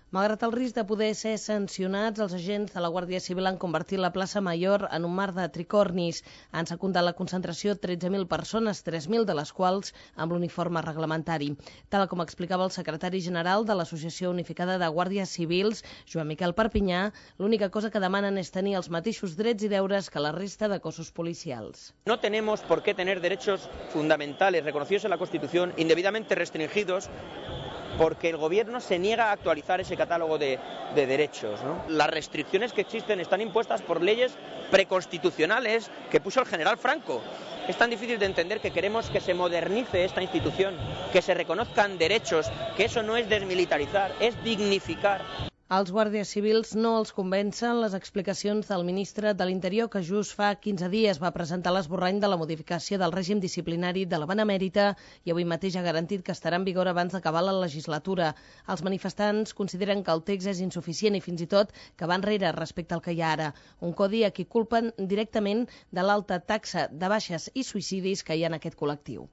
Malgrat el risc de poder ser sancionats, els agents de la Guàrdia Civil han convertit la plaça Mayor en un mar de tricornis. Han secundat la concentració 13.000 persones, 3.000 de les quals amb l'uniforme reglamentari. Tal com explicava el secretari general de l'Associació Unificada de Guàrdies Civils, Joan Miquel Perpinyà, l'única cosa que demanen és tenir els mateixos drets i deures que la resta de cossos policials. No tenemos por qué tener derechos fundamentales reconocidos en la Constitución indebidamente restringidos porque el Gobierno se niega a actualizar ese catálogo de derechos, ¿no? Las restricciones que existen están impuestas por leyes preconstitucionales que puso el general Franco. Es tan difícil de entender que queremos que se modernice esta institución, que se reconozcan derechos, que eso no es desmilitarizar, es dignificar. Als guàrdies civils no els convencen les explicacions del ministre de l'Interior, que just fa 15 dies va presentar l'esborrany de la modificació del règim disciplinari de la Benemèrita i avui mateix ha garantit que estarà en vigor abans d'acabar la legislatura. Els manifestants consideren que el text és insuficient i fins i tot que va enrere respecte al que hi ha ara. Un codi a qui culpen directament de l'alta taxa de baixes i suïcidis que hi ha en aquest col·lectiu.